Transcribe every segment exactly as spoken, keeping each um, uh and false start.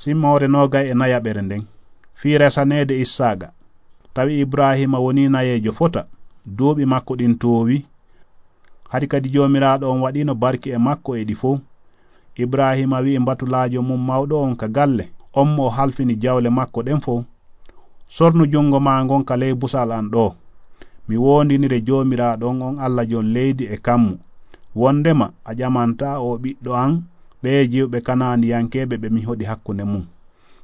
Simmoore noogay e nayaɓere nden, fii resaneede Issaaqa. Tawi Ibraahiima wonii nayeejo fota, duuɓi makko ɗin toowi. Hari kadi Joomiraaɗo on waɗiino barki e makko e ɗi fow. Ibraahiima wi'i mbatulaajo mum mawɗo on ka galle, on mo o halfini jawle makko ɗen fow, "Sornu jungo maa ngon ka ley busal an ɗoo. Mi woondinire Joomiraaɗo on, on Alla jon leydi e kammu, wondema a ƴamantaa oo ɓiɗɗo an ɓee jiwɓe Kanaaniyankeeɓe ɓe mi hoɗi hakkunde mun.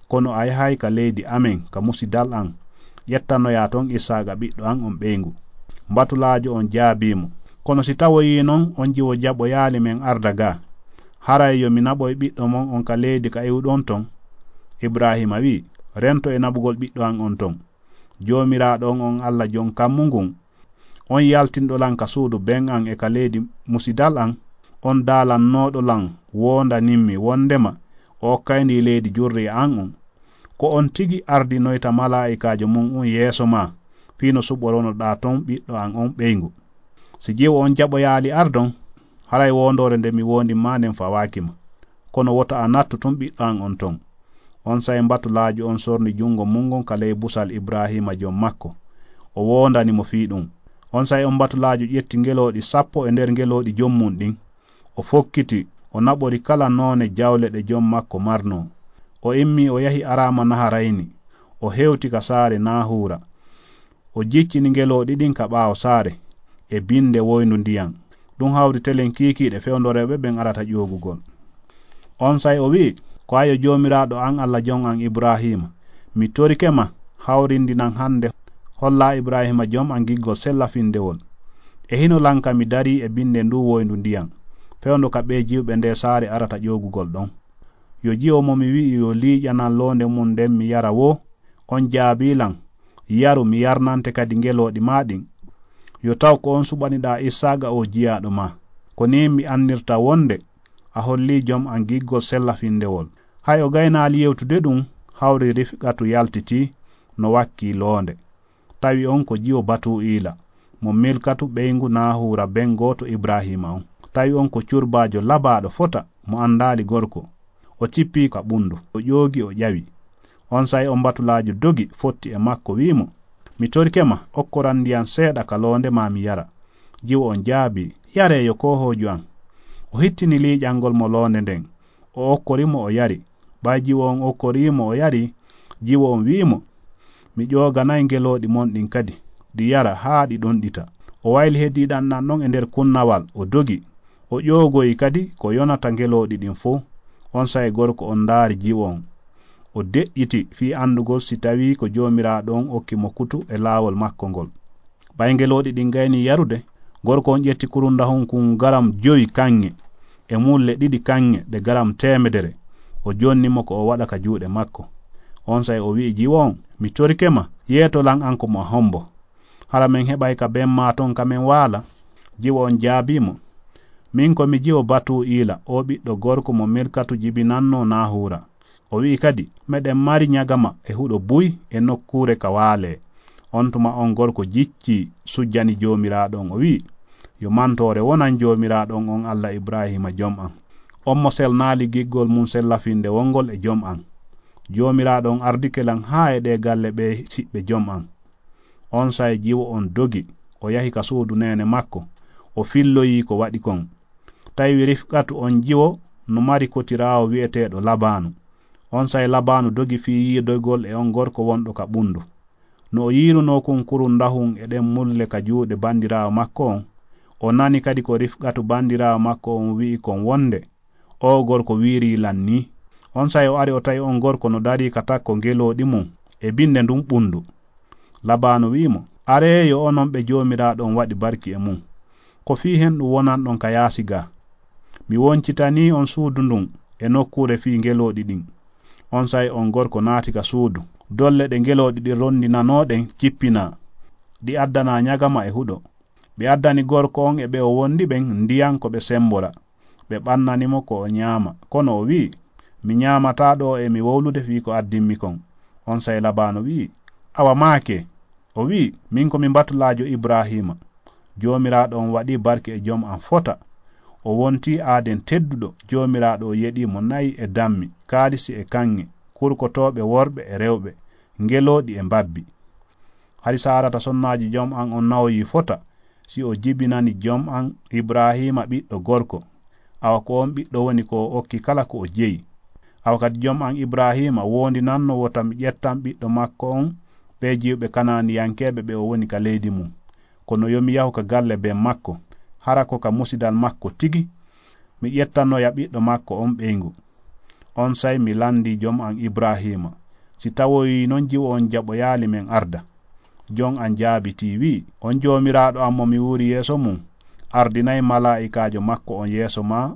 Kono a yahay ka leydi amen, ka musidal an, ƴettanoyaa ton Issaaqa ɓiɗɗo an on ɓeyngu." Mbatulaajo on jaabii mo, "Kono si tawoyii non on jiwo jaɓoyaali men arda gaa, haray yo mi naɓoy ɓiɗɗo mon on ka leydi ka iwɗon ton?" Ibraahiima wi'i, "Rento e naɓugol ɓiɗɗo an on ton. Joomiraaɗo on, on Alla jon kammu ngun, on yaltinɗo lan ka suudu ben an e ka leydi musidal an, on daalannooɗo lan woondanimmi wondema o okkay ndii leydi jurriya an on, ko on tigi ardinoyta malaa'ikaajo mun un yeeso maa, fii no suɓoronoɗaa ton ɓiɗɗo an on ɓeyngu. Si jiwo on jaɓoyaali ardon, haray woondoore nde mi woondin maa nden fawaaki ma. Kono wota a nattu tun ɓiɗɗo an on ton." Onsay mbatulaajo on sorni jungo mun ngon ka ley busal Ibraahiima jom makko. O woondani mo fii ɗun. Onsay on mbatulaajo ƴetti ngelooɗi sappo e nder ngelooɗi jom mun ɗin. O fokkiti, o naɓori kala noone jawle ɗe jom makko marnoo. O immii, o yahi Araama Naharayni. O hewti ka saare Naahuura. O jiccini ngelooɗi ɗin ka ɓaawo saare, e binde woyndu ndiyan. Ɗun hawri telen kiikiiɗe fewndo rewɓe ɓen arata ƴoogugol. Onsay o wi'i, "Ko ayo Joomiraaɗo an, Alla jon an Ibraahiima, mi torike ma, hawrindinan hande, hollaa Ibraahiima jom an giggol sella findewol. E hino lan ka mi darii e binde nduu woyndu ndiyan, fewndo ka ɓee jiwɓe ndee saare arata ƴoogugol ɗon. Yo jiwo mo mi wi'i yo liiƴanan loonde mun nden mi yara woo, on jaabii lan, yaru, mi yarnante kadi ngelooɗi maa ɗin. Yo taw ko on suɓaniɗaa Issaaqa oo jiyaaɗo maa. Ko nii mi annirta wonde a hollii jom an giggol sella findewol." Hay o gaynaali yewtude ɗun, hawri Rifqatu yaltitii no wakkii loonde. Tawi on ko jiwo Batuu'iila, mo Milkatu ɓeyngu Naahuura ben gooto Ibraahiima on. Tawi on ko curbaajo labaaɗo fota mo andaali gorko. O cippii ka ɓundu, o ƴoogi, o ƴawi. Onsay on mbatulaajo dogi fotti e makko, wi'i mo, "Mi torike ma, okkoran ndiyan seeɗa ka loonde maa mi yara." Jiwo on jaabii, "Yaree yo koohoojo an." O hittini liiƴangol mo loonde nden. O okkori mo, o yari. Ɓay jiwo on okkorii mo, o yari, jiwo on wi'i mo, "Mi ƴooganay ngelooɗi mon ɗin kadi, ɗi yara haa ɗi ɗonɗita." O wayli heddiiɗan ɗan ɗon e nder kunnawal, o dogi. O ƴoogoyi kadi ko yonata ngelooɗi ɗin fow. Onsay gorko on ndaari jiwo on. O deƴƴiti fii andugol si tawii ko Joomiraaɗo on okki mo kutu e laawol makko ngol. Ɓay ngelooɗi ɗin gaynii yarude, gorko on ƴetti kurundahun kun garam jowi kaŋŋe, e mulle ɗiɗi kaŋŋe ɗe garam teemedere. O jonni mo ko o waɗa ka juuɗe makko. Onsay o wi'i jiwo on, "Mi torike ma, yeeto lan an ko mo a hombo. Hara men heɓay ka ben maa ton ka men waala?" Jiwo on jaabii mo, "Min ko mi jiwo Batuu'iila, oo ɓiɗɗo gorko mo Milkatu jibinannoo Naahuura." O wi'i kadi, "Meɗen mari ɲagama e huɗo buy e nokkuure ka waalee." On tuma on gorko jiccii, sujjani Joomiraaɗo on, o wi'i, "Yo mantoore wonan Joomiraaɗo on, on Alla Ibraahiima jom an, on mo selnaali giggol mun sella-findewol ngol e jom an. Joomiraaɗo on ardike lan haa e ɗee galle ɓee siɓɓe jom an." Onsay jiwo on dogi, o yahi ka suudu neene makko, o filloyii ko waɗi kon. Tawi Rifqatu on jiwo no mari kotiraawo wi'eteeɗo Labaanu. Onsay Labaanu dogi fii yiidogol e on gorko wonɗo ka ɓundu. No o yiirunoo kun kurundahun e ɗen mulle ka juuɗe bandiraawo makko on, o nani kadi ko Rifqatu bandiraawo makko on wi'i kon wonde, "Oo gorko wiirii lan nii." Onsay o ari, o tawi on gorko no darii ka takko ngelooɗi mun e binde ndun ɓundu. Labaanu wi'i mo, "Aree yo onon ɓe Joomiraaɗo on waɗi barki e mun. Ko fii hen ɗun wonanɗon ka yaasi gaa. Mi woncitanii on suudu ndun e nokkuure fii ngelooɗi ɗin." Onsay on gorko naati ka suudu. Dolle ɗe ngelooɗi ɗin rondinanoo ɗen cippinaa. Ɗi addanaa ɲagama e huɗo. Ɓe addani gorko on e ɓe o wondi ɓen ndiyan ko ɓe sembora. Ɓe ɓannani mo ko o ɲaama. Kono o wi'i, "Mi ɲaamataa ɗoo e mi wowlude fii ko addimmi kon." Onsay Labaanu wi'i, "Awa maake." O wi'i, "Min ko mi mbatulaajo Ibraahiima. Joomiraaɗo on waɗii barki e jom an fota. O wontii aaden tedduɗo. Joomiraaɗo o yeɗii mo na'i e dammi, kaalisi e kaŋŋe. kurkotooɓe worɓe e rewɓe, ngelooɗi e mbabbi. Hari Saarata sonnaajo jom an on nawoyii fota, si o jibinani jom an Ibraahiima ɓiɗɗo gorko, awa ko on ɓiɗɗo woni ko o okki kala ko o jeyi. Awa kadi jom an Ibraahiima woondinanno wota mi ƴettan ɓiɗɗo makko on ɓee jiwɓe Kanaaniyankeeɓe ɓe o woni ka leydi mum. Kono yo mi yahu ka galle ben makko, hara ko ka musidal makko tigi mi ƴettanoya ɓiɗɗo makko on ɓeyngu. Onsay mi landii jom an Ibraahiima, si tawoyii non jiwo on jaɓoyaali men arda. Jom an jaabitii wi'i, on Joomiraaɗo an mo mi wuuri yeeso mum, ardinay malaa'ikaajo makko on yeeso maa,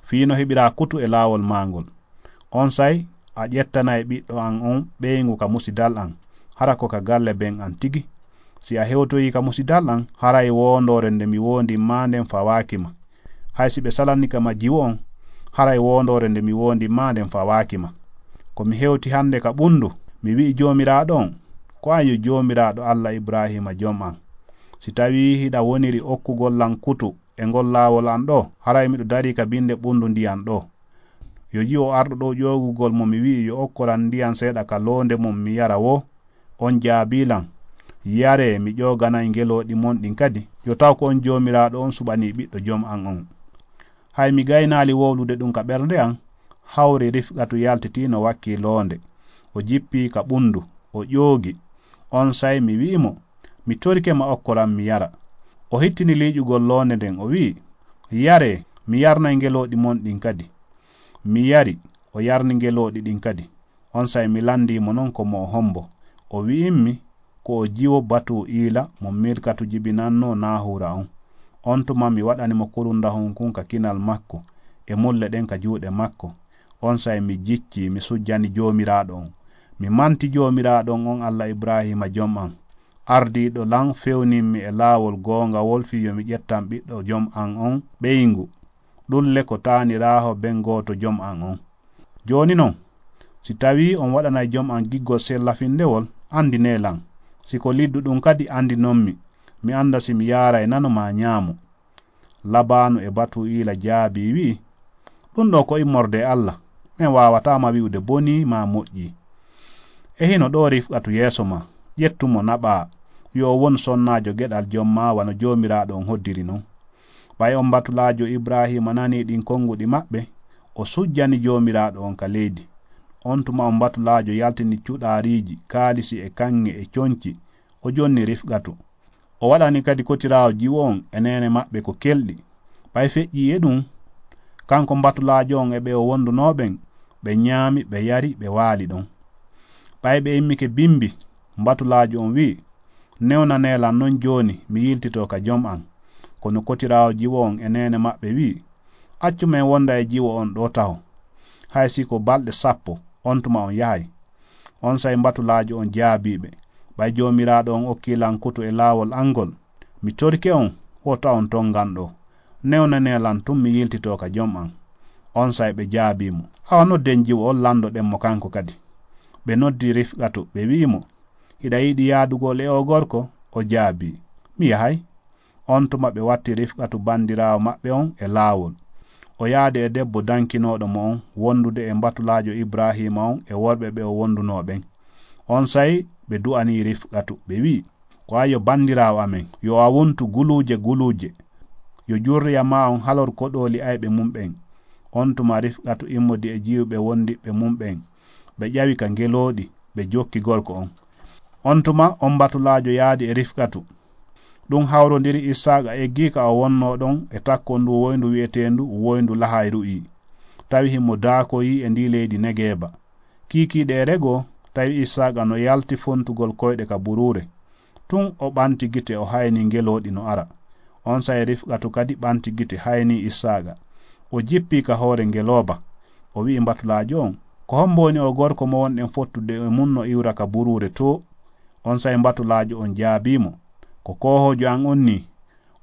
fii no heɓiraa kutu e laawol maa ngol. Onsay a ƴettanay ɓiɗɗo an on ɓeyngu ka musidal an, hara ko ka galle ben an tigi. Si a hewtoyii ka musidal an, haray woondoore nde mi woondin maa nden fawaaki ma. Hay si ɓe salani ka ma jiwo on, haray woondoore nde mi woondin maa nden fawaaki ma. Ko mi hewti hande ka ɓundu, mi wi'i Joomiraaɗo on, ko an yo Joomiraaɗo Alla Ibraahiima jom an. Si tawii hiɗa woniri okkugol lan kutu e ngol laawol an ɗoo, haray miɗo darii ka binde ɓundu ndiyan ɗoo. Yo jiwo arɗo ɗoo ƴoogugol mo mi wi'i yo okkoran ndiyan seeɗa ka loonde mum mi yara woo, on jaabii lan, yaree, mi ƴooganay ngelooɗi mon ɗin kadi, yo taw ko on Joomiraaɗo on suɓanii ɓiɗɗo jom an on. Hay mi gaynaali wowlude ɗum ka ɓernde an, hawri Rifqatu yaltitii no wakkii loonde. O jippii ka ɓundu, o ƴoogi. Onsay mi wi'i mo, mi torike ma okkoran mi yara. O hittini liiƴugol loonde nden, o wi'i, yaree, mi yarnay ngelooɗi mon ɗin kadi. Mi yari, o yarni ngelooɗi ɗin kadi. Onsay mi landii mo non ko mo o hombo. O wi'immi, ko o jiwo Batuu'iila mo Milkatu jibinannoo Naahuura on. On tuma mi waɗani mo kurundahun kun ka kinal makko, e mulle ɗen ka juuɗe makko. Onsay mi jiccii, mi sujjani Joomiraaɗo on. Mi manti Joomiraaɗo on, on Alla Ibraahiima jom an, ardiiɗo lan fewnimmi e laawol goongawol fii yo mi ƴettan ɓiɗɗo jom an on ɓeyngu. Ɗun le ko taaniraaho ben gooto jom an on. Jooni non, si tawii on waɗanay jom an giggol sellafindewol, andinee lan. Si ko liddu ɗun kadi, andinonmi, mi anda si mi yaaray nano maa ɲaamo. Labaanu e Batuu'iila jaabii, wi'i, ɗun ɗoo ko immorde e Alla. Men waawataa ma wi'ude bonii maa moƴƴii. E hino ɗoo Rifqatu yeeso maa, ƴettu mo naɓaa, yo o wonu sonnaajo geɗal jom maa wano Joomiraaɗo on hoddiri non. Ɓay on mbatulaajo Ibraahiima nanii ɗin konguɗi maɓɓe, o sujjani Joomiraaɗo on ka leydi. On tuma on mbatulaajo yaltini cuɗaariiji, kaalisi e kaŋŋe e conci, o jonni Rifqatu. O waɗani kadi kotiraawo jiwo on e neene maɓɓe ko kelɗi. Ɓay feƴƴii e ɗun, kanko mbatulaajo on e ɓe o wondunoo ɓen, ɓe ɲaami, ɓe yari, ɓe waali ɗon. Ɓay ɓe immike bimbi, mbatulaajo on wi'i, newnanee lan non jooni, mi yiltitoo ka jom an. Kono kotiraawo jiwo on e neene maɓɓe wi'i, accu men wonda e jiwo on ɗoo taho. Hay si ko balɗe sappo, on tuma on yahay. Onsay mbatulaajo on jaabii ɓe, ɓay Joomiraaɗo on okkii lan kutu e laawol an ngol, mi torike on, wota on tongan ɗoo. Newnanee lan tun, mi yiltitoo ka jom an. Onsay ɓe jaabii mo, awa nodden jiwo on, landoɗen mo kanko kadi. Ɓe noddi Rifqatu, ɓe wi'i mo, hiɗa yiɗi yaadugol e oo gorko? O jaabii, mi yahay. On tuma ɓe watti Rifqatu bandiraawo maɓɓe on e laawol. O yaadi e debbo dankinooɗo mo on, wondude e mbatulaajo Ibraahiima on e worɓe ɓe o wondunoo ɓen. Onsay ɓe du'anii Rifqatu, ɓe wi'i, ko an yo bandiraawo amen, yo a wontu guluuje guluuje. Yo jurriya maa on halor koɗooli ayɓe mum ɓen. On tuma Rifqatu immodi e jiwɓe wondiɓɓe mum ɓen. Ɓe ƴawi ka ngelooɗi, ɓe jokki gorko on. On tuma on mbatulaajo yaadi e Rifqatu. Ɗun hawrondiri Issaaqa eggii ka o wonnoo ɗon e takkol nduu woyndu wi'eteendu woyndu Lahayru'i. Tawi himo daakoyii e ndii leydi Negeeba. Kiikiiɗe e regoo, tawi Issaaqa no yalti fontugol koyɗe ka buruure. Tun o ɓanti gite, o haynii ngelooɗi no ara. Onsay Rifqatu kadi ɓanti gite, haynii Issaaqa. O jippii ka hoore ngelooba. O wi'i mbatulaajo on, ko hombo woni oo gorko mo wonɗen fottude e mun no iwra ka buruure too? Onsay mbatulaajo on jaabii mo, ko koohoojo an on nii.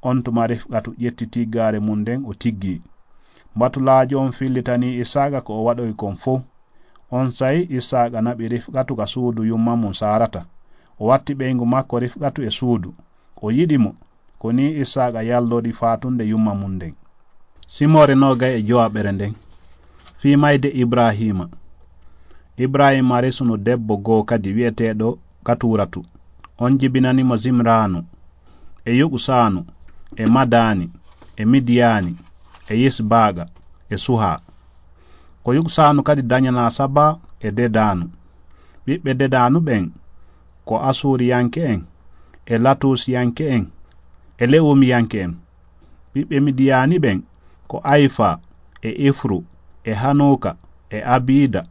On tuma Rifqatu ƴetti tiggaare mun nden, o tiggii. Mbatulaajo on fillitanii Issaaqa ko o waɗoyi kon fow. Onsay Issaaqa naɓi Rifqatu ka suudu yumma mun Saarata. O watti ɓeyngu makko Rifqatu e suudu. O yiɗi mo. Ko nii Issaaqa yallori faatunde yumma mun nden. Simoore noogay e jowaɓere nden. Fii mayde Ibraahiima. Ibrahima resuno debbo goo kadi wi'eteeɗo Katuratu. On jibinani mo Zimraanu, e Yoqsaanu, e Madaani, e Midiyaani, e Yisbaaqa, e Suha. Ko Yoqsaanu kadi dañanaa Saba e Dedaanu. Ɓiɓɓe Dedaanu ɓen ko Asuuriyanke'en, e Latuusiyanke'en, e Lewumiyanke'en. Ɓiɓɓe Midiyaani ɓen ko Ayfa, e Ifru, e Hanuuka, e Abiida,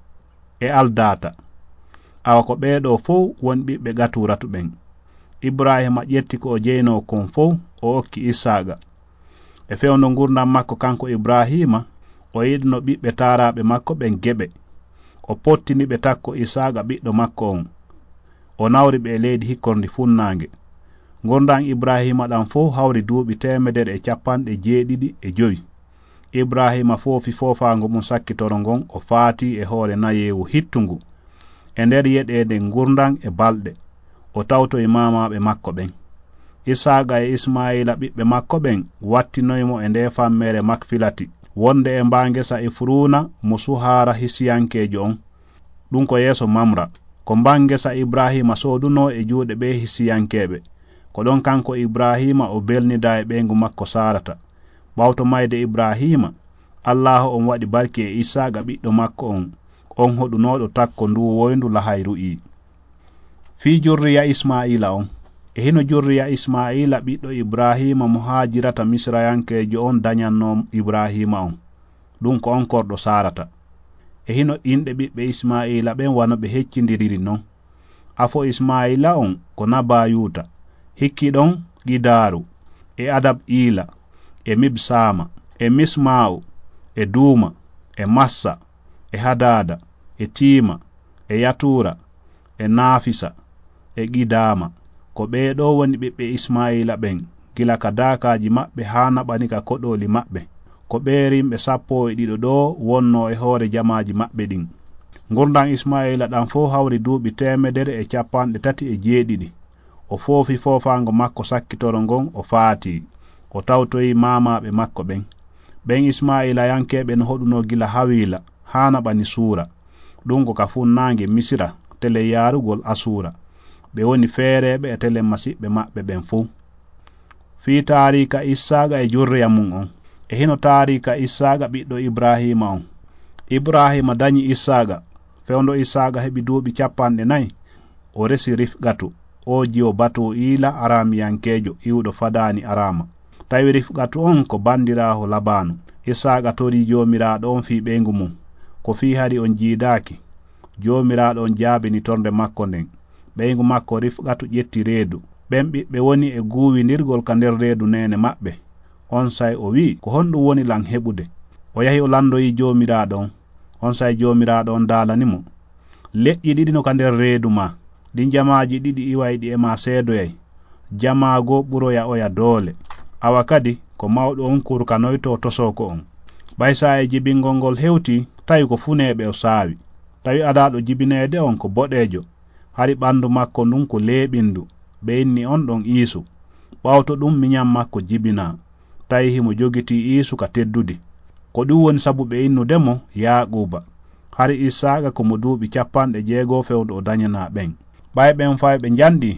e Aldaata. Awa ko ɓee ɗoo fow woni ɓiɓɓe Gaturatu ɓen. Ibrahiima ƴetti ko o jeynoo kon fow, o okki Issaaqa. E fewndo ngurndan makko kanko Ibrahiima, o yiɗuno ɓiɓɓe taaraaɓe makko ɓen geɓe. O pottini ɓe takko Issaaqa ɓiɗɗo makko on. O nawri ɓe e leydi hikkorndi funnaange. Ngurndan Ibrahiima ɗan fow hawri duuɓi teemedere e capanɗe jeeɗiɗi e jowi. Ibrahiima foofi foofaango mun sakkitoro ngon, o faatii e hoore nayeewu hittungu. E nder yeɗeende ngurndan e balɗe, o tawtoyi maamaaɓe makko ɓen. Isaaqa e Ismaa'iila ɓiɓɓe makko ɓen wattinoyi mo e ndee fammeere Makfilati, wonde e mbaa ngesa Ifruuna mo Suhaara Hisiyankeejo on. Ɗun ko yeeso Mamra. Ko mbaa ngesa Ibrahiima soodunoo e juuɗe ɓee Hisiyankeeɓe. Ko ɗon kanko Ibrahiima o belnidaa e ɓeyngu makko Saarata. Ɓawto mayde Ibrahiima, Allaahu on waɗi barki e Isaaqa ɓiɗɗo makko on, on hoɗunooɗo takko nduu woyndu lahayru ii. Fii jurriya Ismaa'iila on. E hino jurriya Ismaa'iila ɓiɗɗo Ibrahiima mo Haajirata Misirayankeejo on dañannoo Ibrahiima on. Ɗun ko on korɗo Saarata. E hino inɗe ɓiɓɓe Ismaa'iila ɓen wano ɓe heccindiriri non. Afo Ismaa'iila on ko Nabayuuta, hikki ɗon Qidaaru, e Adab-iila, e Mibsaama, e Mismaa'u, e Duuma, e Massa, e Hadaada, e Tiima, e Yatuura, e Naafisa, e Qidaama. Ko ɓee ɗoo woni ɓiɓɓe Ismaa'iila ɓen, gila ka daakaaji maɓɓe haa naɓani ka koɗooli maɓɓe. Ko ɓee rimɓe sappo e ɗiɗo ɗoo wonnoo e hoore jamaaji maɓɓe ɗin. Ngurndan Ismaa'iila ɗan fow hawri duuɓi teemedere e capanɗe tati e jeeɗiɗi. O foofi foofaango makko sakkitoro ngon, o faatii. O tawtoyi maamaaɓe makko ɓen. Ɓen Ismaa'iilayankeeɓe no hoɗunoo gila Hawiila haa naɓani Suura. Ɗun ko ka funnaange Misira, telen yaarugol Asuura. Ɓe woni feereeɓe e telen masiɓɓe maɓɓe ɓen fow. Fii taariika Issaaqa e jurriya mun on. E hino taariika Issaaqa ɓiɗɗo Ibraahiima on. Ibraahiima dañi Issaaqa. Fewndo Issaaqa heɓi duuɓi capanɗe nayi, o resi Rifqatu, oo jiwo Batuu'iila Araamiyankeejo iwuɗo Fadaani Araama. Tawi Rifqatu on ko bandiraawo Labaanu. Issaaqa torii Joomiraaɗo on fii ɓeyngu mun. Ko fii hari on jiidaaki? Joomiraaɗo on jaabini tornde makko nden. Ɓeyngu makko Rifqatu ƴetti reedu. Ɓen ɓiɓɓe woni e guuwindirgol ka nder reedu neene maɓɓe. Onsay o wi'i, "Ko honɗun woni lan heɓude?" O yahi o landoyi Joomiraaɗo on. Onsay Joomiraaɗo on daalani mo, "Leƴƴi ɗiɗi no ka nder reedu maa. Ɗin jamaaji ɗiɗi iwayɗi e maa seedoyay. Jamaa goo ɓuroya oya doole. Awa kadi ko mawɗo on kurkanoytoo tosooko on. Ɓay saa'i jibingol ngol hewtii, tawi ko funeeɓe o saawi. Tawi adaaɗo jibineede on ko boɗeejo. Hari ɓandu makko ndun ko leeɓindu, ɓe inni on ɗon Iisu. Ɓawto ɗun miɲan makko jibinaa. Tawi himo jogitii Iisu ka teddudi. Ko ɗun woni sabu ɓe innude mo Yaaquuba. Hari Issaaqa ko mo duuɓi capanɗe jeego fewndo o daɲanaa ɓen. Ɓay ɓen fayɓe njanɗi,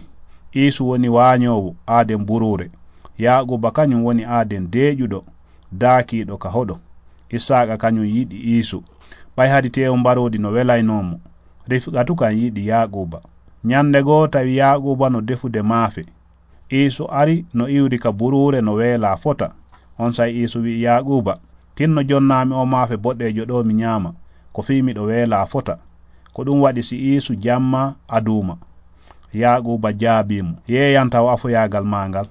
Iisu woni waaɲoowo aaden buruure. Yaaquuba kaɲun woni aaden deeƴuɗo, daakiiɗo ka hoɗo. Issaaqa kaɲun yiɗi Iisu. Ɓay hari teewu mbaroodi no welaynoo mo, Rifqatu kan yiɗi Yaaquuba. Ɲande goo tawi Yaaquuba no defude maafe. Iisu ari no iwri ka buruure no weelaa fota. Onsay Iisu wi'i Yaaquuba, "Tinno jonnaami oo maafe boɗeejo ɗoo mi ɲaama, ko fii miɗo weelaa fota." Ko ɗun waɗi si Iisu jammaa aduuma. Yaaquuba jaabii mo, "Yeeyan taw afoyaagal maa ngal."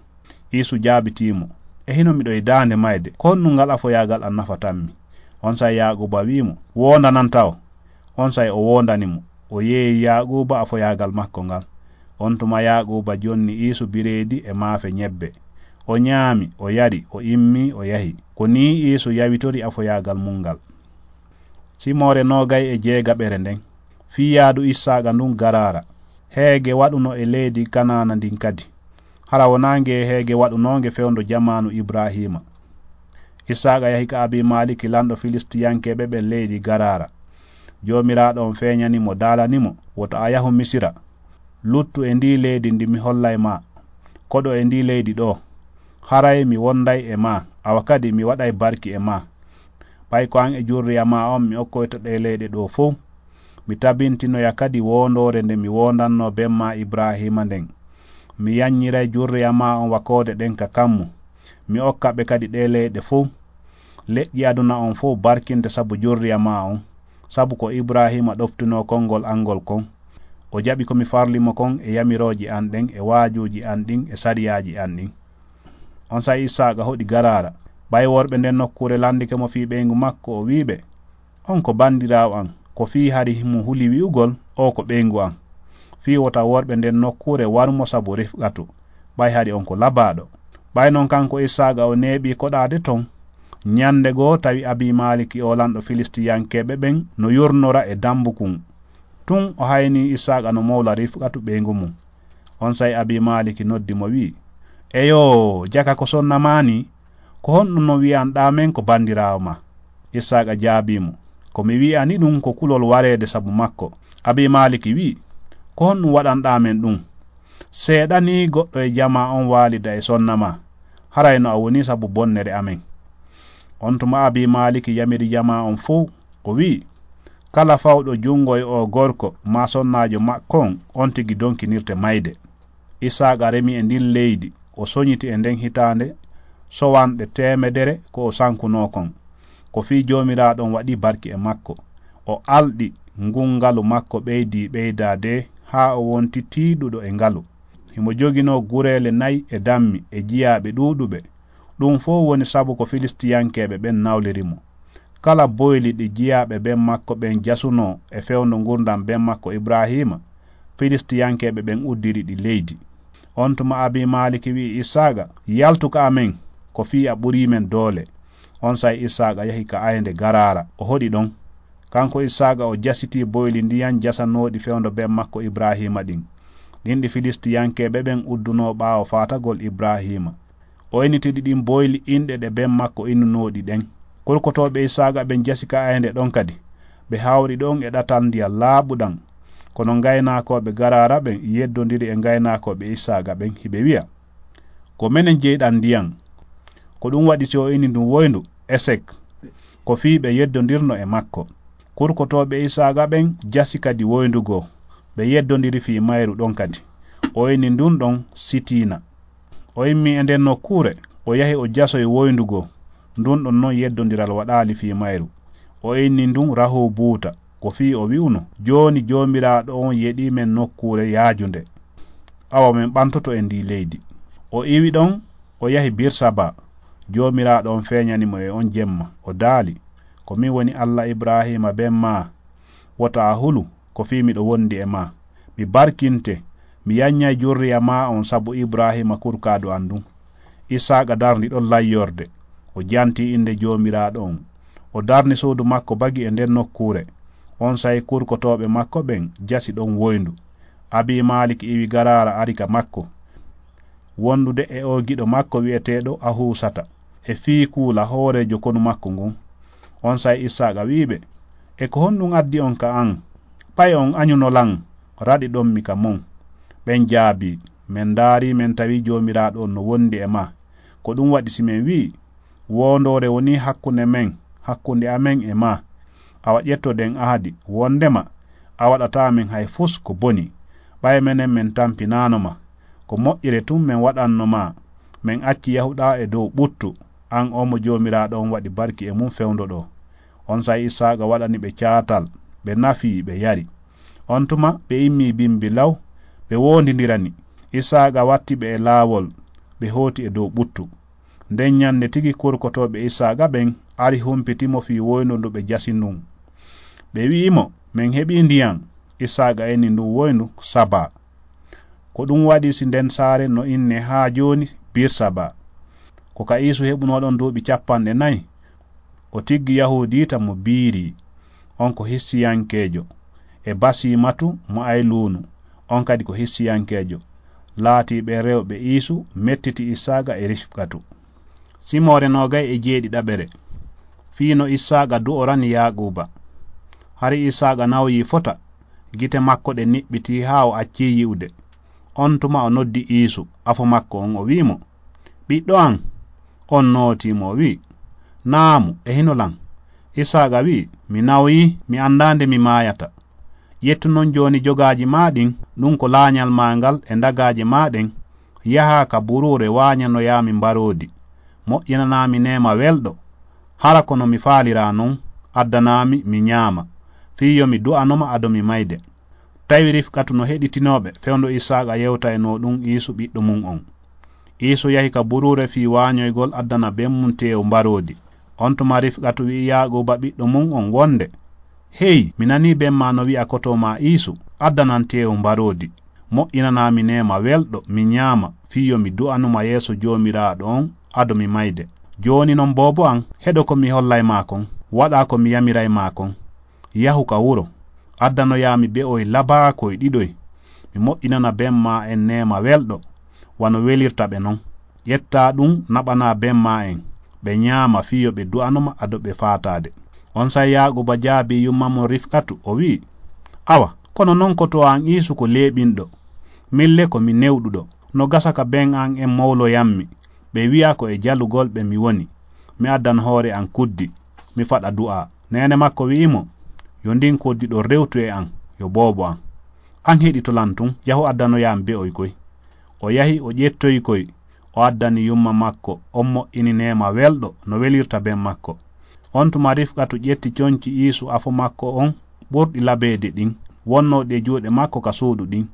Iisu jaabitii mo, "E hino miɗo e daande mayde, ko honɗun ngal afoyaagal an nafatammi?" Onsay Yaaquuba wi'i mo, "Woondanan taw." Onsay o woondani mo, o yeeyi Yaaquuba afoyaagal makko ngal. On tuma Yaaquuba jonni Iisu bireedi e maafe ɲebbe. O ɲaami, o yari, o immii, o yahi. Ko nii Iisu yawitori afoyaagal mun ngal. Simoore noogay e jeegaɓere nden. Fii yaadu Issaaqa ndun Garaara. Heege waɗuno e leydi Kanaana ndin kadi. Hara wonaa nge heege waɗunoonge fewndo jamaanu Ibraahiima. Issaaqa yahi ka Abiimaliki, lanɗo Filistiyankeeɓe ɓen leydi Garaara. Joomiraaɗo on feeñani mo, daalani mo, "Wota a yahu Misira. Luttu e ndii leydi ndi mi hollay ma. Koɗo e ndii leydi ɗoo. Haray mi wonday e ma, awa kadi mi waɗay barki e ma. Ɓay ko an e jurriya ma on mi okkoyta ɗee leyɗe ɗoo fow. Mi tabintinoya kadi woondoore nde mi woondannoo ben ma Ibraahiima nden. Mi yanñiray jurriya ma on wakoode ɗen ka kammu. Mi okka ɓe kadi ɗee leyɗe fow. Leƴƴi aduna on fow barkinte sabu jurriya ma on, sabu ko Ibraahiima ɗoftunoo konngol an ngol kon. O jaɓi ko mi farli mo kon e yamirooji an ɗen, e waajuuji an ɗin, e sariyaaji an ɗin." Onsay Isaaqa hoɗi Garaara. Ɓay worɓe nden nokkuure landike mo fii ɓeyngu makko, o wi'i ɓe, "On ko bandiraawo an, ko fii hari himo huli wi'ugol, 'Oo ko ɓeyngu an.'" Fii wota worɓe nden nokkuure waru mo sabu Rifqatu, ɓay hari on ko labaaɗo. Ɓay non kanko Isaaqa o neeɓii koɗaade ton. Ñande goo tawi Abiimaliki oo lanɗo Filistiyankeeɓe ɓen no yurnora e dambukun. Tun o haynii Isaaqa no mowla Rifqatu ɓeyngu mun. Onsay Abiimaliki noddi mo wi'i, "Eyoo, jaka ko sonna maa nii? Ko honɗun non wi'anɗaa men ko bandiraawo maa?" Isaaqa jaabii mo, "Ko mi wi'ani ɗun ko kulol wareede sabu makko." Abiimaliki wi'i, "Ko honɗun waɗanɗaa men ɗun? Seeɗa nii goɗɗo e jamaa on waalida e sonna maa. Haray no a woni sabu bonnere amen." On tuma Abiimaliki yamiri jamaa on fow, o wi'i, "Kala fawɗo jungo e oo gorko maa sonnaajo makko on, on tigi donkinirte mayde." Isaaqa remi e ndin leydi, o soñiti e nden hitaande sowanɗe teemedere ko o sankunoo kon. Ko fii Joomiraaɗo on waɗi barki e makko. O alɗi, ngun ngalu makko ɓeydii ɓeydaade haa o wonti tiiɗuɗo e ngalu. Himo joginoo gureele nayi e dammi e jiyaaɓe ɗuuɗuɓe. Ɗun fow woni sabu ko Filistiyankeeɓe ɓen nawliri mo. Kala boyli ɗi jiyaaɓe ben makko ɓen jasunoo e fewndo ngurndan ben makko Ibraahiima, Filistiyankeeɓe ɓen uddiri ɗi leydi. On tuma Abiimaliki wi'i Isaaqa, "Yaltu ka amen, ko fii a ɓurii men doole." Onsay Isaaqa yahi ka aynde Garaara, o hoɗi ɗon. Kanko Isaaqa o jasitii boyli ndiyan jasanooɗi fewndo ben makko Ibraahiima ɗin, ɗin ɗi Filistiyankeeɓe ɓen uddunoo ɓaawo faatagol Ibraahiima. O innitiri ɗin boyli inɗe ɗe ben makko innunooɗi ɗen. Kurkotooɓe Isaaqa ɓen jasi ka aynde ɗon kadi. Ɓe hawri ɗon e ɗatal ndiyan laaɓuɗan. Kono ngaynaakooɓe Garaara ɓen yeddondiri e ngaynaakooɓe Isaaqa ɓen, hiɓe wi'a, "Ko menen jeyɗan ndiyan." Ko ɗun waɗi si o inni ndun woyndu, "Esek," ko fii ɓe yeddondirno e makko. Kurkotooɓe Isaaqa ɓen jasi kadi woyndu goo. Ɓe yeddondiri fii mayru ɗon kadi. O inni ndun ɗon Sitiina. O immii e nden nokkuure, o yahi o jasoyi woyndu goo. Ndun ɗon non yeddondiral waɗaali fii mayru. O inni ndun Rahobuuta, ko fii o wi'uno, "Jooni Joomiraaɗo on yeɗii men nokkuure yaajunde. Awa men ɓantoto e ndii leydi." O iwi ɗon, o yahi Birsaba. Joomiraaɗo on feeñani mo e on jemma, o daali, "Ko min woni Alla Ibraahiima ben maa. Wota a hulu, ko fii miɗo wondi e maa. Mi barkinte, mi yanñay jurriya maa on sabu Ibraahiima kurkaadu an ndun." Isaaqa darni ɗon layyorde, o janti innde Joomiraaɗo on. O darni suudu makko bagi e nden nokkuure. Onsay kurkotooɓe makko ɓen jasi ɗon woyndu. Abiimaalik iwi Garaara ari ka makko, wondude e oo giɗo makko wi'eteeɗo Ahusata, e Fiikuula hooreejo konu makko ngun. Onsay Isaaqa wi'i ɓe, "E ko honɗun addi on ka an? Ɓay on añuno lan, raɗiɗon mi ka mon." Ɓen jaabii, "Men ndaarii, men tawii Joomiraaɗo on no wondi e maa. Ko ɗun waɗi si men wi'i, 'Woondoore wonii hakkunde men, hakkunde amen e maa,' awa ƴettoden ahadi, wondema a waɗataa men hay fus ko boni. Ɓay menen men tampinaano ma, ko moƴƴere tun men waɗanno ma, men acci yahuɗaa e dow ɓuttu, an oo mo Joomiraaɗo on waɗi barki e mun fewndo ɗoo." Onsay Isaaqa waɗani ɓe caatal, ɓe nafii, ɓe yari. On tuma ɓe immii bimbi law, ɓe woondindirani. Isaaqa watti ɓe e laawol, ɓe hooti e dow ɓuttu. Nden ñande tigi kurkotooɓe Isaaqa ɓen ari humpiti mo fii woyndu ndu ɓe jasi ndun. Ɓe wi'i mo, "Men heɓii ndiyan." Isaaqa inni ndun woyndu Saba. Ko ɗun waɗi si nden saare no innee haa jooni Birsaba. Ko ka Iisu heɓunoo ɗon duuɓi cappanɗe nayi, o tiggi Yahuudiita mo Biiri, on ko Hissiyankeejo, e Basiimatu mo Ayluunu, on kadi ko Hissiyankeejo, laatii ɓen rewɓe Iisu mettiti Isaaqa e Rifqatu. Simoore noogay e jeeɗiɗaɓere. Fii no Isaaqa du'orani Yaaquuba. Hari Isaaqa nawyii fota, gite makko ɗen niɓɓitii haa o accii yi'ude. On tuma o noddi Iisu, afo makko on, o wi'i mo, "Ɓiɗɗo an!" On nootii mo, o wi'i, "Naamu, e hino lan." Isaaqa wi'i, "Mi nawyii, mi anndaa nde mi maayata. Ƴettu non jooni jogaaji maa ɗin, ɗun ko laaɲal maa ngal e ndagaaje maa ɗen, yahaa ka buruure waaɲanoyaa mi mbaroodi, moƴƴinanaa mi neema welɗo. Hara ko no mi faaliraa non, addanaa mi, mi ɲaama, fii yo mi du'ano ma ado mi mayde." Tawi Rifqatu no heɗitinoo ɓe fewndo Isaaqa yewtaynoo ɗun Iisu ɓiɗɗo mun on. Iisu yahi ka buruure fii waaɲoygol addana ben mun teewu mbaroodi. On tuma Rifqatu wi'i Yaaquuba ɓiɗɗo mun on wonde, "Hey, mi nanii ben maa no wi'a kotoo maa Iisu, addanan teewu mbaroodi, moƴƴinanaa mi neema welɗo, mi ɲaama, fii yo mi du'anu ma yeeso Joomiraaɗo on ado mi mayde. Jooni non boobo an, heɗo ko mi hollay maa kon, waɗaa ko mi yamiray maa kon. Yahu ka wuro, addanoyaa mi be'oy labaakoy ɗiɗoy, mi moƴƴinana ben maa en neema welɗo, wano welirta ɓe non. Ƴettaa ɗun naɓanaa ben maa en, ɓe ɲaama fii yo ɓe du'ano ma ado ɓe faataade." Onsay Yaaquuba jaabii yumma mun Rifqatu, o wi'i, "Awa, kono non kotoo an Iisu ko leeɓinɗo. Min le ko mi newɗuɗo. No gasa ka ben an en mowloyammi, ɓe wi'a ko e jalugol ɓe mi woni. Mi addan hoore an kuddi, mi faɗa du'aa." Neene makko wi'i mo, "Yo ndin kuddi ɗon rewtu e an, yo boobo an. An heɗito lan tun, yahu addanoyaa mi be'oy koy." O yahi, o ƴettoyi koy, o addani yumma makko, on moƴƴini neema welɗo no welirta ben makko. On tuma Rifqatu ƴetti conci Iisu afo makko on ɓurɗi labeede ɗin, wonnooɗi e juuɗe makko ka suudu ɗin,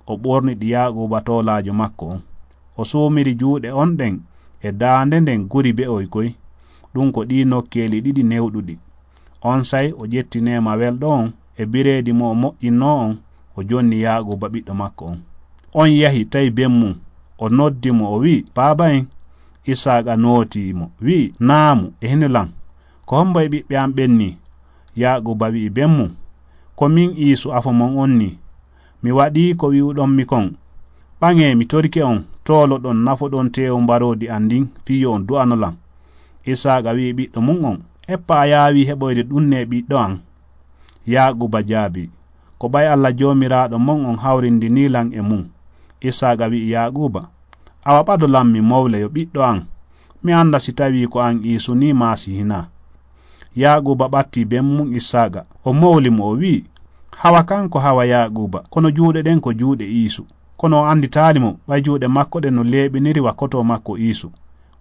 o ɓorni ɗi Yaaquuba toolaajo makko on. O suumiri juuɗe on ɗen e daande nden guri be'oy koy. Ɗun ko ɗii nokkeeli ɗiɗi newɗuɗi. Onsay o ƴetti neema welɗo on e bireedi mo o moƴƴinnoo on, o jonni Yaaquuba ɓiɗɗo makko on. On yahi tawi ben mun, o noddi mo, o wi'i, "Baaba en." Isaaqa nootii mo, wi'i, "Naamu, e hino lan. Ko hombo e ɓiɓɓe an ɓen nii?" Yaaquuba wi'i ben mun, "Ko min Iisu afo mon on nii. Mi waɗii ko wi'uɗon mi kon. Ɓaŋee, mi torike on, tooloɗon, nafoɗon teewu mbaroodi an ndin, fii yo on du'ano lan." Isaaqa wi'i ɓiɗɗo mun on, "Eppa a yaawii heɓoyde ɗun nee ɓiɗɗo an?" Yaaquuba jaabii, "Ko ɓay Alla Joomiraaɗo mon on hawrindinii lan e mun." Isaaqa wi'i Yaaquuba, "Awa ɓado lan mi mowle yo ɓiɗɗo an, mi annda si tawii ko an Iisu nii maa si hinaa." Yaaquuba ɓattii ben mun Isaaqa, o mowli mo, o wi'i, "Hawa kan ko hawa Yaaquuba, kono juuɗe ɗen ko juuɗe Iisu. Kono o annditaali mo, ɓay juuɗe makko ɗen no leeɓiniri wa kotoo makko Iisu."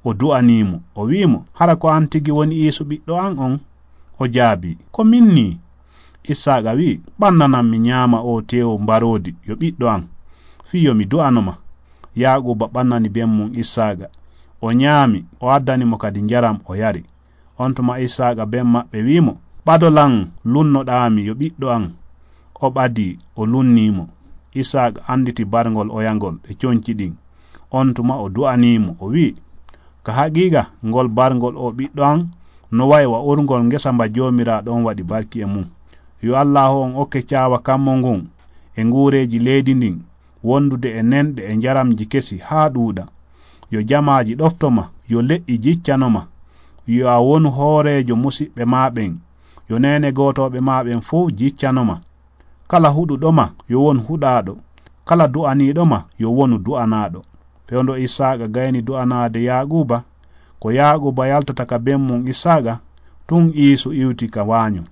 O du'anii mo, o wi'i mo, "Hara ko an tigi woni Iisu ɓiɗɗo an on?" O jaabii, "Ko min nii." Isaaqa wi'i, "Ɓannanan mi ɲaama oo teewu mbaroodi yo ɓiɗɗo an, fii yo mi du'ano ma." Yaaquuba ɓannani ben mun Isaaqa. O ɲaami, o addani mo kadi njaram, o yari. On tuma Isaaqa ben maɓɓe wi'i mo, "Ɓado lan lunnoɗaa mi yo ɓiɗɗo an." O ɓadii, o lunnii mo. Isaaqa annditi barngol oyangol e conci ɗin. On tuma o du'anii mo, o wi'i, "Ka haqiiqa, ngol barngol oo ɓiɗɗo an no wa'i wa urngol ngesa mba Joomiraaɗo on waɗi barki e mun. Yo Allaahu on okke caawa kammu ngun e nguureeji leydi ndin, wondude e nenɗe e njaramji kesi haa ɗuuɗa. Yo jamaaji ɗofto ma, yo leƴƴi jiccano ma. Yo a wonu hooreejo musiɓɓe maa ɓen. Yo neene gootooɓe maa ɓen fow jiccano ma. Kala huɗuɗo ma, yo won huɗaaɗo. Kala du'aniiɗo ma, yo wonu du'anaaɗo." Fewndo Isaaqa gayni du'anaade Yaaquuba, ko Yaaquuba yaltata ka ben mun Isaaqa, tun Iisu iwti ka waaɲu.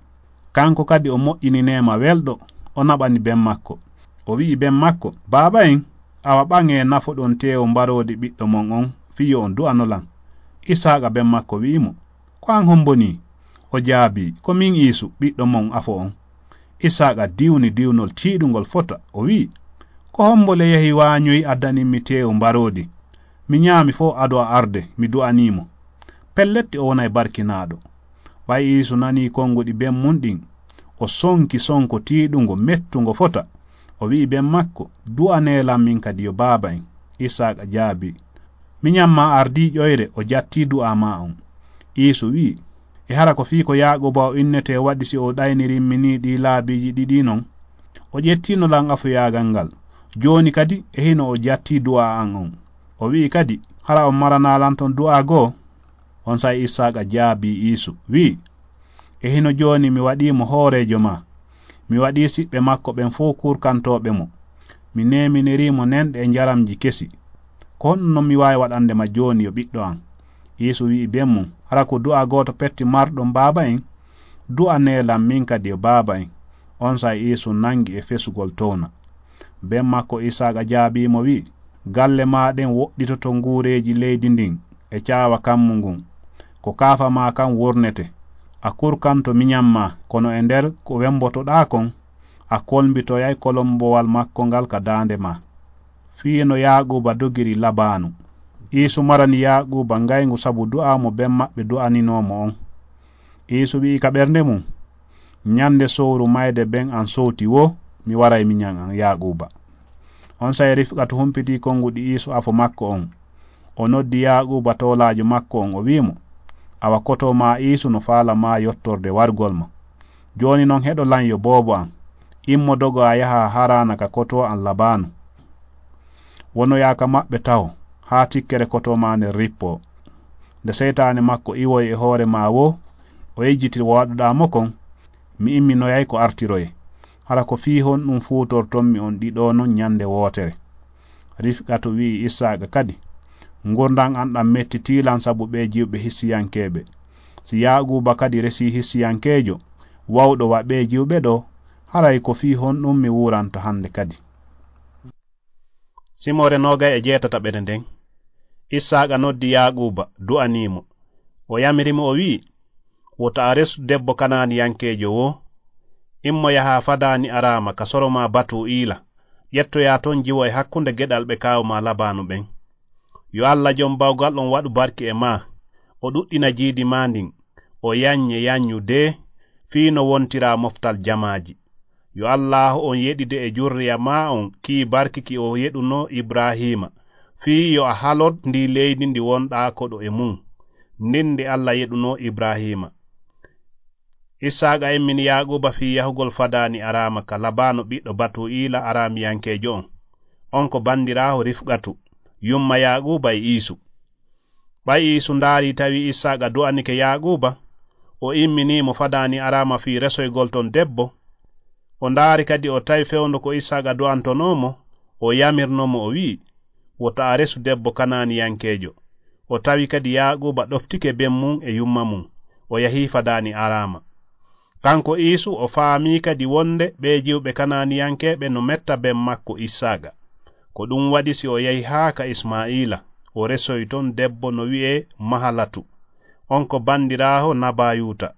Kanko kadi o moƴƴini neema welɗo, o naɓani ben makko. O wi'i ben makko, "Baaba en, awa ɓaŋee nafoɗon teewu mbaroodi ɓiɗɗo mon on, fii yo on du'ano lan." Isaaqa ben makko wi'i mo, "Ko an hombo nii?" O jaabii, "Ko min Iisu, ɓiɗɗo mon afo on." Isaaqa diwni diwnol tiiɗungol fota, o wi'i, "Ko hombo le yahi waaɲoy addani mi teewu mbaroodi? Mi ɲaami fow ado a arde, mi du'anii mo. Pellet o wonay barkinaaɗo." Ɓay Iisu nanii konguɗi ben mun ɗin, o sonki sonko tiiɗungo mettungo fota. O wi'i ben makko, "Du'anee lan min kadi yo baaba en." Isaaqa jaabii, "Miɲan maa ardii ƴoyre o jattii du'aa maa on." Iisu wi'i, "E hara ko fii ko Yaaquuba o innetee waɗi si o ɗaynirimmi nii ɗii laabiiji ɗiɗi non? O ƴettiino lan afuyaagal ngal. Jooni kadi e hino o jattii du'aa an on." O wi'i kadi, "Hara on maranaa lan ton du'aa goo?" Onsay Isaaqa jaabii Iisu, wi'i, E hino jooni mi waɗii mo hooreejo maa. Mi waɗii siɓɓe makko ɓen fow kurkantooɓe mo. Mi neeminiri mo nenɗe e njaramji kesi. Ko honɗun non mi waawi waɗande ma jooni yo ɓiɗɗo an?" Iisu wi'i ben mun, "Hara ko du'a gooto petti marɗon baaba en? Du'anee lan min kadi yo baaba en." Onsay Iisu nangi e fesugol towna. Ben makko Isaaqa jaabii mo wi'i, "Galle maa ɗen woɗɗitoto nguureeji leydi ndin e caawa kammu ngun. Ko kaafa maa kan wurnete. A kurkanto miɲan maa, kono e nder ko wembotoɗaa kon, a kolmbitoyay kolombowal makko ngal ka daande maa." Fii no Yaaquuba dogiri Labaanu. Iisu marani Yaaquuba ngayngu sabu du'aa mo ben maɓɓe du'aninoo mo on. Iisu wi'i ka ɓernde mun, "Ɲande sowru mayde ben an sowti woo, mi waray miɲan an Yaaquuba." Onsay Rifqatu humpitii konguɗi Iisu afo makko on. O noddi Yaaquuba toolaajo makko on, o wi'i mo, "Awa kotoo maa Iisu no faala maa yottorde wargol ma. Jooni non heɗo lan yo boobo an. Immo dogo a yaha Haraana ka kotoo an Labaanu. Wonoyaa ka maɓɓe taho, haa tikkere kotoo maa nden rippoo. Nde seytaane makko iwoyi e hoore maa woo, o yejjiti ko waɗuɗaa mo kon, mi imminoyay ko artiroye. Hara ko fii honɗun fuutorton mi on ɗiɗo non ɲande wootere?" Rifqatu wi'i Isaaqa kadi, "Ngurndan an ɗan mettitii lan sabu ɓee jiwɓe hissiyankeeɓe. Si Yaaquuba kadi resii hissiyankeejo, wawɗo wa ɓee jiwɓe ɗoo, haray ko fii honɗun mi wuuranto hande kadi?" Simoore noogay e jeetataɓere nden, Isaaqa noddi Yaaquuba, du'anii mo. O yamiri mo, o wi'i, "Wota a resu debbo Kanaaniyankeejo woo. Immo yahaa Fadaani Araama ka soro maa Batuu'iila. Ƴettoyaa ton jiwo e hakkunde geɗalɓe kaawu maa Labaanu ɓen. Yo Alla Jom Bawgal on waɗu barki e maa, o ɗuɗɗina jiidi maa ndin, o yaɲɲe yaɲɲu dee, fii no wontiraa moftal jamaaji. Yo Allaahu on yeɗide e jurriya maa on kii barki ki o yeɗunoo Ibraahiima, fii yo a halor ndii leydi ndi wonɗaa koɗo e mun, ndin ndi Alla yeɗunoo Ibraahiima." Isaaqa immini Yaaquuba fii yahugol Fadaani Araama ka Labaanu ɓiɗɗo Batuu'iila Araamiyankeejo on. On ko bandiraawo Rifqatu, yumma Yaaquuba e Iisu. Ɓay Iisu ndaari tawi Isaaqa du'anike Yaaquuba, o imminii mo Fadaani Araama fii resoygol ton debbo. O ndaari kadi o tawi fewndo ko Isaaqa du'antonoo mo, o yamirnoo mo o wi'i, "Wota a resu debbo Kanaaniyankeejo." O tawi kadi Yaaquuba ɗoftike ben mun e yumma mun, o yahii Fadaani Araama. Kanko Iisu o faamii kadi wonde ɓee jiwɓe Kanaaniyankeeɓe no metta ben makko Isaaqa. Ko ɗun waɗi si o yahi haa ka Ismaa'iila, o resoy ton debbo no wi'ee Mahalatu. On ko bandiraawo Nabayuuta,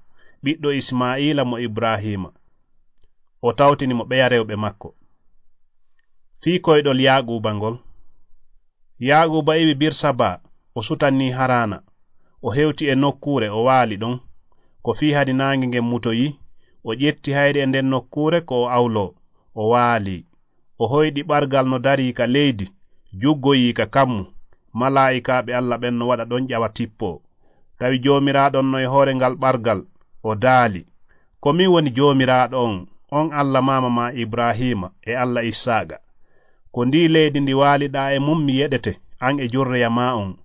ɓiɗɗo Ismaa'iila mo Ibraahiima. O tawtini mo ɓeya rewɓe makko. Fii koyɗol Yaaquuba ngol. Yaaquuba iwi Birsaba, o sutanii Haraana. O hewti e nokkuure, o waali ɗon. Ko fii hari naange ngen mutoyii, o ƴetti hayre e nden nokkuure ko o awloo, o waali. O hoyɗi ɓargal no darii ka leydi, juggoyii ka kammu. Malaa'ikaaɓe Alla ɓen no waɗa ɗon ƴawa tippoo. Tawi Joomiraaɗo on no e hoore ngal ɓargal, o daali, "Ko min woni Joomiraaɗo on, on Alla maama maa Ibraahiima e Alla Issaaqa. Ko ndii leydi ndi waaliɗaa e mun mi yeɗete, an e jurriya maa on.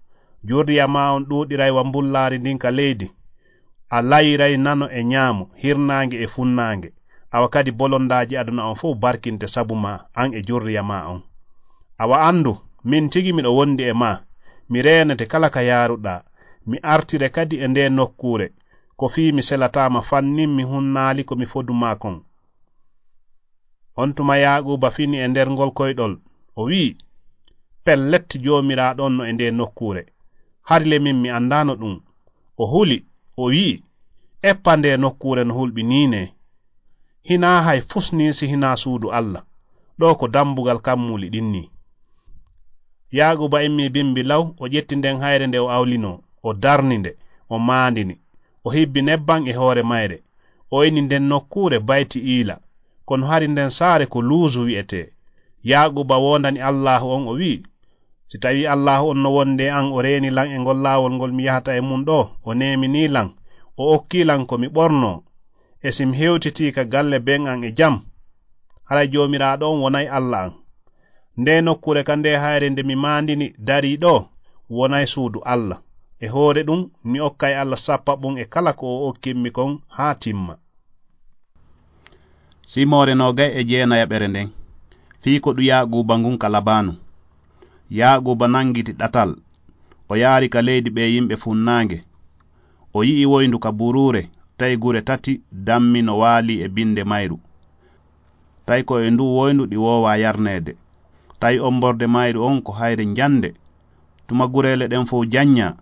Jurriya maa on ɗuuɗiray wa mbullaari ndin ka leydi. A layiray nano e ɲaamo, hirnaange e funnaange. Awa kadi bolondaaji aduna on fow barkinte sabu maa, an e jurriya maa on. Awa anndu, min tigi miɗo wondi e maa, mi reenete kala ka yaaruɗaa, mi artire kadi e ndee nokkuure, ko fii mi selataama fannin mi hunnaali ko mi fodu maa kon." On tuma Yaaquuba fini e nder ngol koyɗol, o wi'i, "Pellet, Joomiraaɗo on no e ndee nokkuure. Hari le min mi anndaano ɗun." O huli, o wi'i, "Eppa ndee nokkuure no hulɓinii nee. Hinaa hay fus nii si hinaa suudu Alla, ɗoo ko dambugal kammuuli ɗin nii." Yaaquuba immii bimbi law, o ƴetti nden hayre nde o awlinoo, o darni nde, o maandini, o hibbi nebban e hoore mayre, o ini nden nokkuure Bayti Iila, kono hari nden saare ko Luuzu wi'etee. Yaaquuba woondani Allaahu on, o wi'i, "Si tawii Allaahu on no wondi e an, o reeni lan e ngol laawol ngol mi yahata e mun ɗoo, o neeminii lan, o okkii lan ko mi ɓornoo, e si mi hewtitii ka galle ben an e jam, haray Joomiraaɗo on wonay Alla an. Ndee nokkuure ka ndee hayre nde mi maandini darii ɗoo, wonay suudu Alla. E hoore ɗum, mi okkay Alla sappaɓum e kala ko o okkimmi kon haa timma. Simoore noogay e jeenayaɓere nden, fii koɗu Yaaquuba ngun ka Labaanu. Yaaquuba nangiti ɗatal, o yaari ka leydi ɓee yimɓe funnaange. O yi'i woyndu ka buruure, tawi gure tati dammi no waalii e binde mayru. Tawi ko e nduu woyndu ɗi woowaa yarneede. Tawi ommborde mayru on ko hayre njannde. Tuma gureele ɗen fow jannyaa,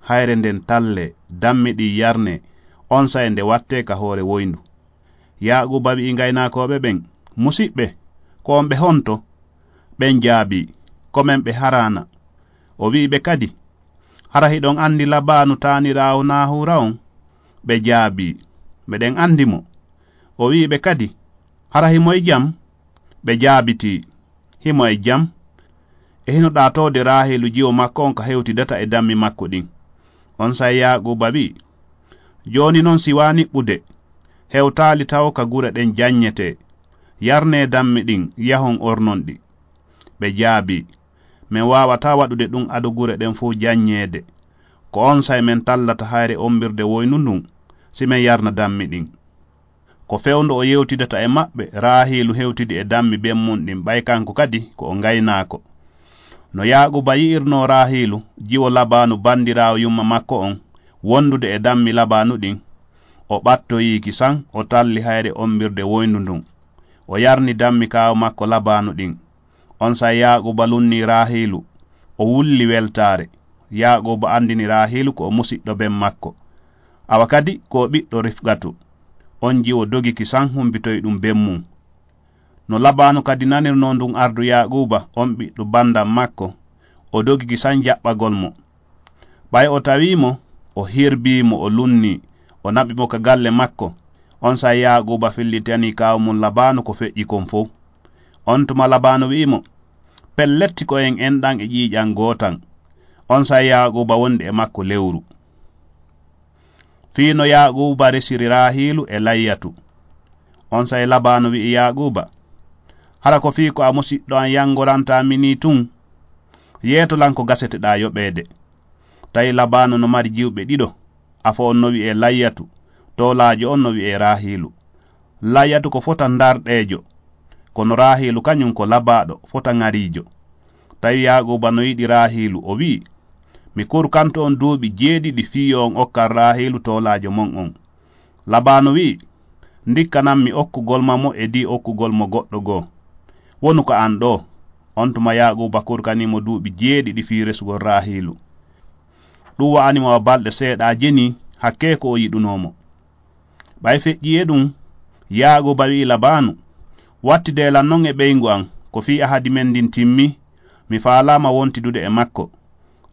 hayre nden tallee, dammi ɗin yarnee, onsay nde wattee ka hoore woyndu. Yaaquuba wi'i ngaynaakooɓe ɓen, "Musiɓɓe, ko on ɓe honto?" Ɓen jaabii, "Ko men ɓe Haraana." O wi'i ɓe kadi, "Hara hiɗon anndi Labaanu taaniraawo Naahuura on?" Ɓe jaabii, "Meɗen anndi mo." O wi'i ɓe kadi, "Hara himo e jam?" Ɓe jaabitii, "Himo e jam. E hino ɗaatoode Raahiilu jiwo makko on ka hewtidata e dammi makko ɗin." Onsay Yaaquuba wi'i, "Jooni non si waa niɓɓude, hewtaali tawo ka gure ɗen jannyetee. Yarnee dammi ɗin, yahon ornon ɗi." Ɓe jaabii, "Men waawataa waɗude ɗum ado gure ɗen fow jannyeede. Ko onsay men tallata hayre ommbirde woyndu ndun, si men yarna dammi ɗin." Ko fewndo o yewtidata e maɓɓe, Raahiilu hewtidi e dammi ben mun ɗin, ɓay kanko kadi ko o ngaynaako. No Yaaquuba yi'irnoo Raahiilu, jiwo Labaanu bandiraawo yumma makko on, wondude e dammi Labaanu ɗin, o ɓattoyii ki san, o talli hayre ommbirde woyndu ndun. O yarni dammi kaaw makko Labaanu ɗin. Onsay Yaaquuba lunnii Raahiilu, o wulli weltaare. Yaaquuba andini Raahiilu ko o musiɗɗo ben makko. Awa kadi ko o ɓiɗɗo Rifqatu. On jiwo dogi ki san humpitoyi ɗum ben mun. No Labaanu kadi nanirnoo ndun ardu Yaaquuba, on ɓiɗɗo banndam makko, o dogi ki san jaɓɓagol mo. Ɓay o tawii mo, o hirbii mo, o lunnii, o naɓi mo ka galle makko. Onsay Yaaquuba fillitanii kaaw mun Labaanu ko feƴƴi kon fow. On tuma Labaanu wi'i mo, "Pellet, ko en enɗan e ƴiiƴan gootan." Onsay Yaaquuba wondi e makko lewru. Fii no Yaaquuba resiri Raahiilu e Layyatu. Onsay Labaanu wi'i Yaaquuba, "Hara ko fii ko a musiɗɗo an yangorantaa mi nii tun? Yeeto lan ko gaseteɗaa yoɓeede." Tawi Labaanu no mari jiwɓe ɗiɗo, afo on no wi'ee Layyatu, toolaajo on no wi'ee Raahiilu. Layyatu ko fota ndarɗeejo, kono Raahiilu kañun ko labaaɗo, fota ŋariijo. Tawi Yaaquuba no yiɗi Raahiilu, o wi'i, "Mi kurkanto on duuɓi jeeɗiɗi fii yo on okkan Raahiilu toolaajo mon on." Labaanu wi'i, "Ndikkanan mi okkugol ma mo e dii okkugol mo goɗɗo goo. Wonu ka an ɗoo." On tuma Yaaquuba kurkanii mo duuɓi jeeɗiɗi fii resugol Raahiilu. Ɗum wa'ani mo wa balɗe seeɗaaje nii, hakkee ko o yiɗunoo mo. Ɓay feƴƴii e ɗum, Yaaquuba wi'i Labaanu, "Wattidee lan non e ɓeyngu an, ko fii ahadi men ndin timmii, mi faalaama wontidude e makko."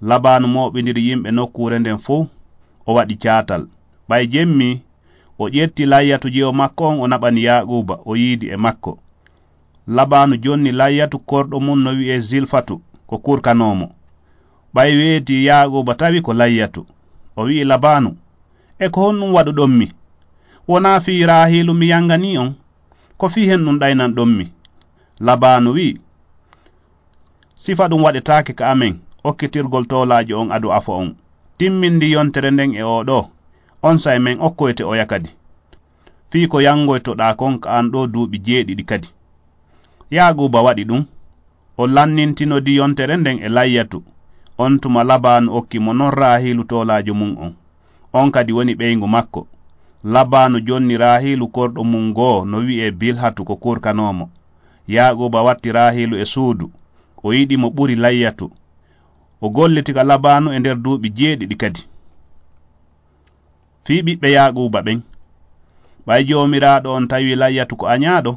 Labaanu mooɓindiri yimɓe nokkuure nden fow, o waɗi caatal. Ɓay jemmi, o ƴetti Layyatu jiwo makko on, o naɓani Yaaquuba, o yiidi e makko. Labaanu jonni Layyatu korɗo mun no wi'ee Zilfatu, ko kurkanoo mo. Ɓay weetii Yaaquuba tawi ko Layyatu. O wi'i Labaanu, "E ko honɗum waɗuɗon mi? Wonaa fii Raahiilu mi yanganii on? Ko fii hen ɗum ɗaynanɗon mi?" Labaanu wi'i, "Sifa ɗum waɗetaake ka amen, okkitirgol toolaajo on ado afo on. Timmindi yontere nden e oo ɗoo, onsay men okkoyte oya kadi. Fii ko yangoytoɗaa kon ka an ɗoo duuɓi jeeɗiɗi kadi." Yaaquuba waɗi ɗum. O lannintinodi yontere nden e Layyatu. On tuma Labaanu okki mo non Raahiilu toolaajo mun on. On kadi woni ɓeyngu makko. Labaanu jonni Raahiilu korɗo mun goo no wi'ee Bilhatu ko kurkanoo mo. Yaaquuba watti Raahiilu e suudu. O yiɗi mo ɓuri Layyatu. O golliti ka Labaanu e nder duuɓi jeeɗiɗi kadi. Fii ɓiɓɓe Yaaquuba ɓen. Ɓay Joomiraaɗo on tawi Layyatu ko aɲaaɗo,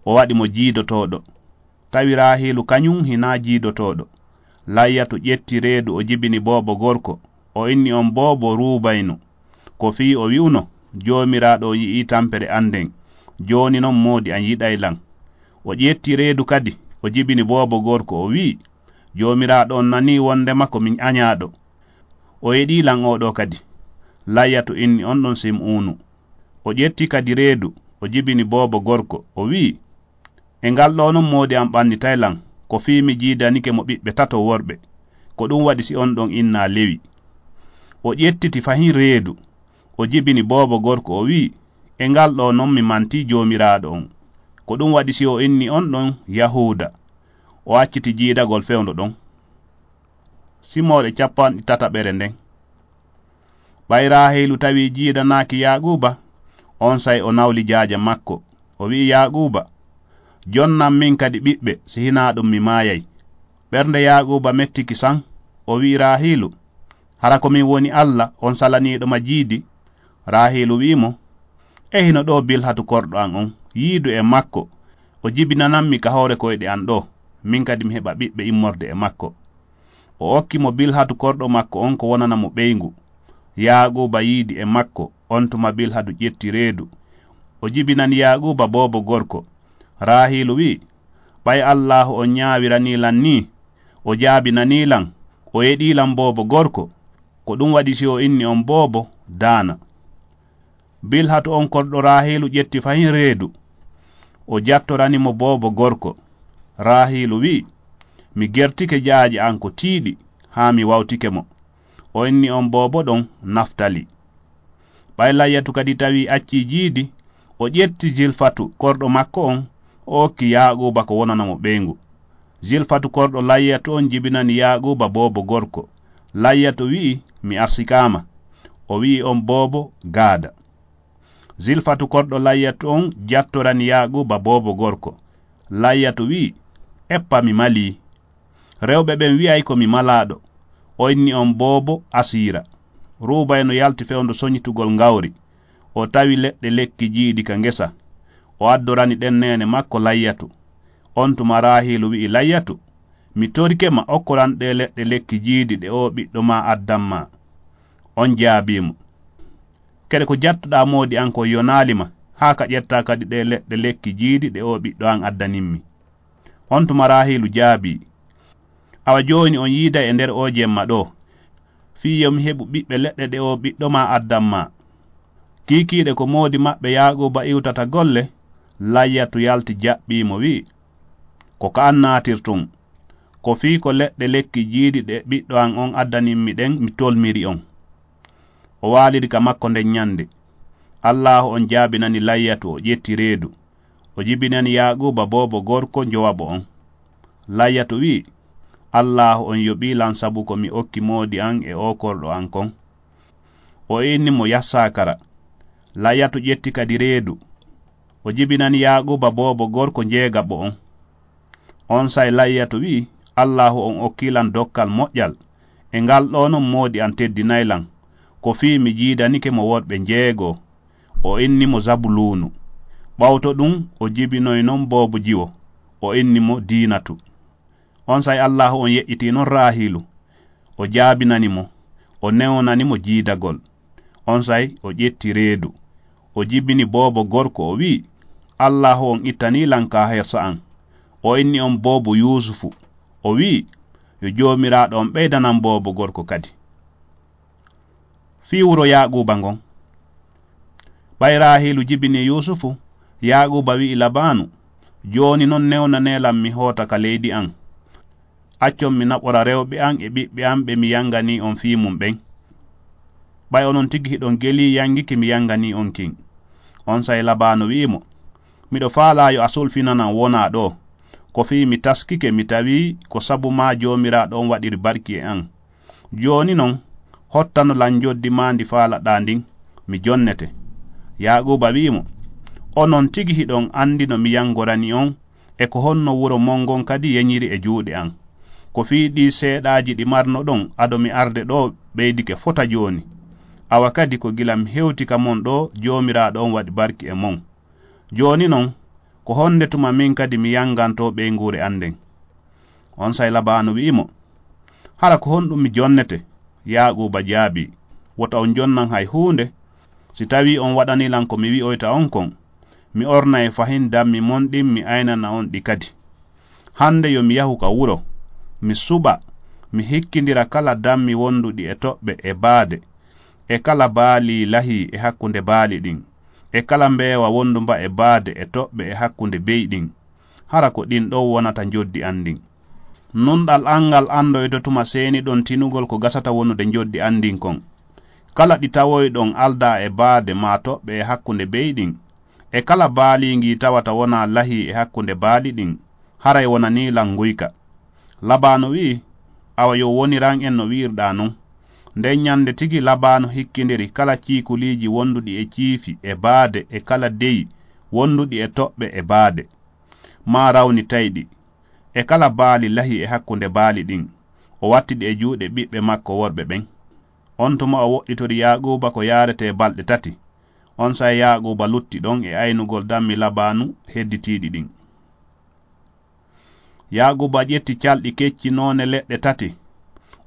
o waɗi mo jiidotooɗo. Tawi Raahiilu kaɲun hinaa jiidotooɗo. Layyatu ƴetti reedu, o jibini boobo gorko, o inni on boobo Ruubaynu. Ko fii o wi'uno, "Joomiraaɗo on yi'ii tampere an nden. Jooni non moodi an yiɗay lan." O ƴetti reedu kadi, o jibini boobo gorko, o wi'i, "Joomiraaɗo on nanii wondema ko min aɲaaɗo. O yeɗii lan oo ɗoo kadi." Layyatu inni on ɗon Sim'uunu. O ƴetti kadi reedu, o jibini boobo gorko, o wi'i, "E ngal ɗoo non moodi an ɓannitay lan, ko fii mi jiidanike mo ɓiɓɓe tato worɓe. Ko ɗum waɗi si on ɗon innaa Lewi." O ƴettiti fahin reedu, o jibini boobo gorko, o wi'i, "E ngal ɗo non mi mantii Joomiraaɗo on. Ko ɗum waɗi si o inni on ɗon Yahuuda, o acciti jiidagol fewndo ɗon." Simooɗe capanɗe tataɓere nden. Ɓay Raahiilu tawi jiidanaaki Yaaquuba, onsay o nawli jaaja makko. O wi'i Yaaquuba, "Jonnan min kadi ɓiɓɓe, si hinaa ɗum mi maayay." Ɓernde Yaaquuba mettiki san, o wi'i Raahiilu, "Hara ko min woni Alla on salaniiɗo ma jiidi?" Raahiilu wi'i mo, "E hino ɗoo Bilhatu korɗo an on, yiidu e makko, o jibinanammi ka hoore koyɗe an ɗoo, min kadi mi heɓa ɓiɓɓe immorde e makko." O okki mo Bilhatu korɗo makko on ko wonana mo ɓeyngu. Yaaquuba yiidi e makko, on tuma Bilhatu ƴetti reedu. O jibinani Yaaquuba boobo gorko. Raahiilu wi'i, "Ɓay Allaahu on ñaawiranii lan nii, o jaabinanii lan, o yeɗii lan boobo gorko, ko ɗum waɗi si o inni on boobo, daana." Bilhatu on korɗo Raahiilu ƴetti fahin reedu. O jattorani mo boobo gorko. Raahiilu wi'i, "Mi gertike jaaje an ko tiiɗi, haa mi wawtike mo." O inni on boobo ɗon Naftali. Ɓay Layyatu kadi tawi accii jiidi, o ƴetti Zilfatu korɗo makko on, o okki Yaaquuba ko wonana mo ɓeyngu. Zilfatu korɗo Layyatu on jibinani Yaaquuba boobo gorko. Layyatu wi'i, "Mi arsikaama." O wi'i on boobo Gaada. Zilfatu korɗo Layyatu on jattorani Yaaquuba boobo gorko. Layyatu wi'i, "Eppa mi malii. Rewɓe ɓen wi'ay ko mi malaaɗo." O inni on boobo Asiira. Ruubaynu yalti fewndo soñitugol ngawri. O tawi leɗɗe lekki jiidi ka ngesa. O addorani ɗen neene makko Layyatu. On tuma Raahiilu wi'i Layyatu, "Mi torike ma, okkoran ɗee leɗɗe lekki jiidi ɗe oo ɓiɗɗo maa addan maa." On jaabii mo, "Kede ko jattuɗaa moodi an kon yonaali ma, haa ka ƴettaa kadi ɗee leɗɗe lekki jiidi ɗe oo ɓiɗɗo an addanimmi." On tuma Raahiilu jaabii, "Awa jooni on yiiday e nder oo jemma ɗoo, fii yo mi heɓu ɓiɓɓe leɗɗe ɗe oo ɓiɗɗo maa addan maa." Kiikiiɗe ko moodi maɓɓe Yaaquuba iwtata golle, Layyatu yalti jaɓɓii mo wi'i, "Ko ka an naatirtun. Ko fii ko leɗɗe lekki jiidi ɗe ɓiɗɗo an on addanimmi ɗen mi tolmiri on." O waaliri ka makko nden ñande. Allaahu on jaabinani Layyatu, o ƴetti reedu. O jibinani Yaaquuba boobo gorko njowaɓo on. Layyatu wi'i, "Allaahu on yoɓii lan sabu ko mi okki moodi an e oo korɗo an kon." O inni mo Yassakara. Layyatu ƴetti kadi reedu. O jibinani Yaaquuba boobo gorko njeegaɓo on. Onsay Layyatu wi'i, "Allaahu on okkii lan dokkal moƴƴal. E ngal ɗoo non moodi an teddinay lan. Ko fii mi jiidanike mo worɓe njeego." O inni mo Zabuluunu. Ɓawto ɗun, o jibinoy non boobo jiwo. O inni mo Diinatu. Onsay Allaahu on yeƴƴitii non Raahiilu. O jaabinani mo, o newnani mo jiidagol. Onsay o ƴetti reedu. O jibini boobo gorko, o wi'i, "Allaahu on ittanii lan ka hersa an." O inni on boobo Yuusufu. O wi'i, "Yo Joomiraaɗo on ɓeydanan boobo gorko kadi." Fii wuro Yaaquuba ngon. Ɓay Raahiilu jibini Yuusufu, Yaaquuba wi'i Labaanu, "Jooni non newnanee lan mi hoota ka leydi an. Accon mi naɓora rewɓe an e ɓiɓɓe an ɓe mi yanganii on fii mun ɓen. Ɓay onon tigi hiɗon gelii yangiki mi yanganii on kin." Onsay Labaanu wi'i mo, "Miɗo faalaa yo a sulfinanan wonaa ɗoo. Ko fii mi taskike, mi tawii ko sabu maa Joomiraaɗo on waɗiri barki e an. Jooni non, hottano lan njoddi maa ndi faalaɗaa ndin, mi jonnete." Yaaquuba wi'i mo, "Onon tigi hiɗon andi no mi yangorani on, e ko honno wuro mon ngon kadi yeñiri e juuɗe an. Ko fii ɗii seeɗaaji ɗi marnoɗon ado mi arde ɗoo ɓeydike fota jooni. Awa kadi ko gila mi hewti ka mon ɗoo Joomiraaɗo on waɗi barki e mon. Jooni non, ko honde tuma min kadi mi yangantoo ɓeynguure an nden?" Onsay Labaanu wi'i mo, "Hara ko honɗum mi jonnete?" Yaaquuba jaabii, "Wota on jonnan hay huunde. Si tawii on waɗanii lan ko mi wi'oyta on kon, mi ornay fahin dammi mon ɗin, mi aynana on ɗi kadi. Hande yo mi yahu ka wuro, mi suɓa, mi hikkindira kala dammi wonduɗi e toɓɓe e baade, e kala baali lahii e hakkunde baali ɗin, e kala mbeewa wondumba e baade e toɓɓe e hakkunde bey ɗin. Hara ko ɗin ɗon wonata njoddi an ndin. Nunɗal an ngal andoyto tuma seeniɗon tinugol ko gasata wonude njoddi an ndin kon. Kala ɗi tawoyɗon aldaa e baade maa toɓɓe e hakkunde be'i ɗin, e kala baaliingi tawata wonaa lahii e hakkunde baali ɗin, haray wonanii lan nguyka. Labaanu wi'i, Awa yo woniran en no wi'irɗaa non. Nden ɲannde tigi Labaanu hikkindiri kala ciikuliiji wonduɗi e ciifi e baade e kala de'i wonduɗi e toɓɓe e baade, maa rawnitayɗi, e kala baali lahi e hakkunde baali ɗin, o watti ɗi e juuɗe ɓiɓɓe makko worɓe ɓen. On tuma o woɗɗitori Yaaquuba ko yaaretee balɗe tati. Onsay Yaaquuba lutti ɗon e aynugol dammi Labaanu hedditiiɗi ɗin. Yaaquuba ƴetti calɗi kecci noone leɗɗe tati,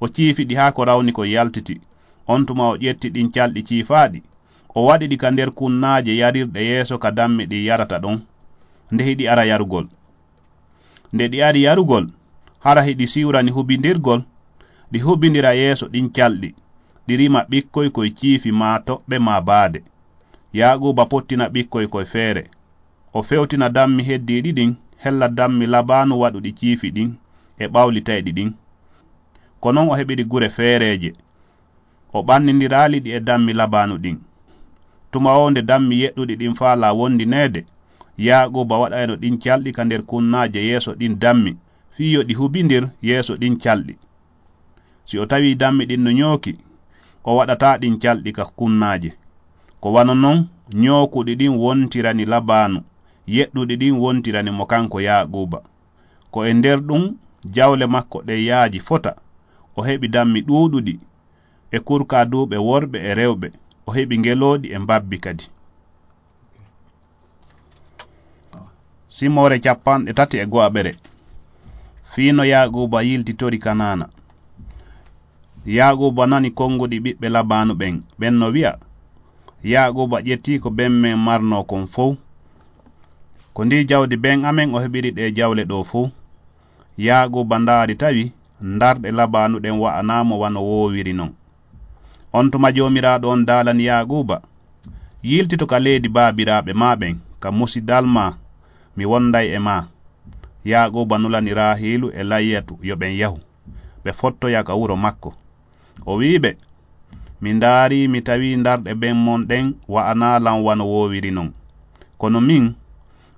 o ciifi ɗi haa ko rawni kon yaltiti. On tuma o ƴetti ɗin calɗi ciifaaɗi, o waɗi ɗi ka nder kunnaaje yarirɗe yeeso ka dammi ɗin yarata ɗon, nde hiɗi ara yarugol. Nde ɗi ari yarugol, hara hiɗi siwrani hubindirgol, ɗi hubindira yeeso ɗin calɗi, ɗi rima ɓikkoy koy ciifi maa toɓɓe maa baade. Yaaquuba pottina ɓikkoy koy feere. O fewtina dammi heddiiɗi ɗin, hella dammi Labaanu waɗuɗi ciifi ɗin, e ɓawlitayɗi ɗin. Ko non o heɓiri gure feereeje. O ɓannindiraali ɗi e dammi Labaanu ɗin. Tuma woo nde dammi yeɗɗuɗi ɗin faalaa wondineede, Yaaquuba waɗayno ɗin calɗi ka nder kunnaaje yeeso ɗin dammi, fii yo ɗi hubindir yeeso ɗin calɗi. Si o tawii dammi ɗin no ɲooki, o waɗataa ɗin calɗi ka kunnaaje. Ko wano non ɲookuɗi ɗin wontirani Labaanu, yeɗɗuɗi ɗin wontirani mo kanko Yaaquuba. Ko e nder ɗun jawle makko ɗen yaaji fota, o heɓi dammi ɗuuɗuɗi, e kurkaaduuɓe worɓe e rewɓe, o heɓi ngelooɗi e mbabbi kadi. Simoore cappanɗe tati e go'aɓere. Fii no Yaaquuba yiltitori Kanaana. Yaaquuba nani konguɗi ɓiɓɓe Labaanu ɓen, ɓen no wi'a, Yaaquuba ƴetti ko ben men marnoo kon fow. Ko ndii jawdi ben amen o heɓiri ɗee jawle ɗoo fow. Yaaquuba ndaari tawi ndarɗe Labaanu ɗen wa'anaa mo wano woowiri non. On tuma Joomiraaɗo on daalani Yaaquuba, Yiltito ka leydi baabiraaɓe maa ɓen, ka musidal maa, mi wonday e maa. Yaaquuba nulani Raahiilu e Layyatu yo ɓen yahu, ɓe fottoya ka wuro makko. O wi'i ɓe, Mi ndaarii, mi tawii ndarɗe ben mon ɗen wa'anaa lan wano woowiri non. Kono min,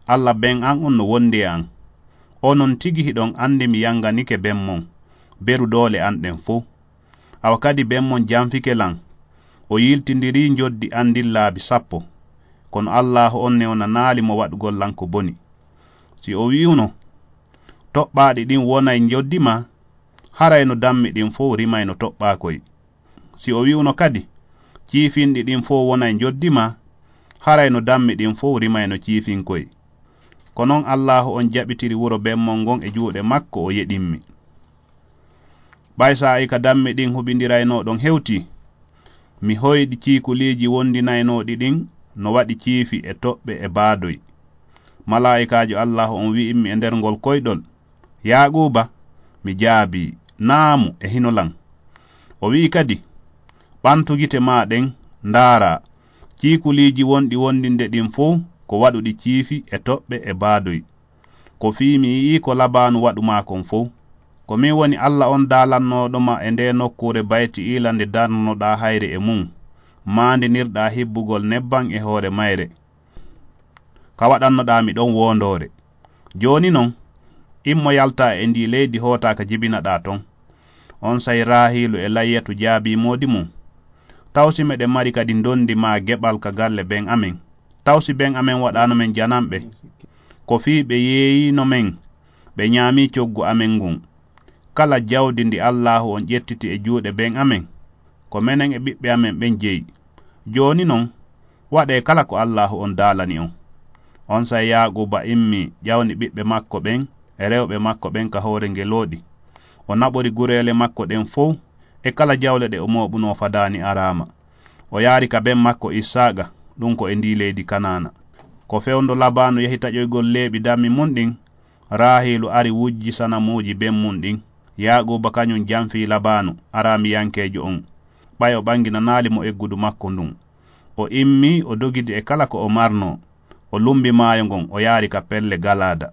Alla ben an on no wondi e an. Onon tigi hiɗon andi mi yanganike ben mon, beru doole an ɗen fow. Awa kadi ben mon janfike lan, o yiltindirii njoddi an ndin laabi sappo. Kono Allaahu on newnanaali mo waɗugol lan ko boni. Si o wi'uno, Toɓɓaaɗi ɗin wonay njoddi maa, haray no dammi ɗin fow rimayno toɓɓaakoy. Si o wi'uno kadi, Ciifinɗi ɗin fow wonay njoddi maa, haray no dammi ɗin fow rimayno ciifinkoy. Ko non Allaahu on jaɓitiri wuro ben mon ngon e juuɗe makko, o yeɗimmi. Ɓay saa'i ka dammi ɗin huɓindiraynoo ɗon hewtii, mi hoyɗi ciikuliiji wondinaynooɗi ɗin no waɗi ciifi e toɓɓe e baadoy. Malaa'ikaajo Allaahu on wi'immi e nder ngol koyɗol, Yaaquuba, mi jaabii, Naamu, e hino lan. O wi'i kadi, Ɓantu gite maa ɗen, ndaaraa, ciikuliiji wonɗi wondinde ɗin fow ko waɗuɗi ciifi e toɓɓe e baadoy. Ko fii mi yi'ii ko Labaanu waɗu maa kon fow. Ko min woni Alla on daalannooɗo ma e ndee nokkuure Bayti'iila nde darnoɗaa hayre e mun, maandinirɗaa hibbugol nebban e hoore mayre, ka waɗannoɗaa mi ɗon woondoore. Jooni non, immo yaltaa e ndii leydi hootaa ka jibinaɗaa ton. Onsay Raahiilu e Layyatu jaabii moodi mun, Taw si meɗen mari kadi ndondi maa geɓal ka galle ben amen? Taw si ben amen waɗaano men jananɓe? Ko fii ɓe yeeyiino men, ɓe ɲaamii coggu amen ngun. Kala jawdi ndi Allaahu on ƴettiti e juuɗe ben amen, ko menen e ɓiɓɓe amen ɓen jeyi. Jooni non, waɗee kala ko Allaahu on daalani on. Onsay Yaaquuba immii, ƴawni ɓiɓɓe makko ɓen e rewɓe makko ɓen ka hoore ngelooɗi. O naɓori gureele makko ɗen fow e kala jawle ɗe o mooɓunoo fadaani araama. O yaari ka ben makko Issaaqa, ɗun ko e ndii leydi Kanaana. Ko fewndo Labaanu yahi taƴoygol leeɓi dammi mun ɗin, Raahiilu ari wujji sanamuuji ben mun ɗin. Yaaquuba kaɲun janfii Labaanu, Araamiyankeejo on, ɓay o ɓanginanaali mo eggudu makko ndun. O immii, o dogidi e kala ko o marnoo. O lumbi maayo ngon, o yaari ka pelle Galaada.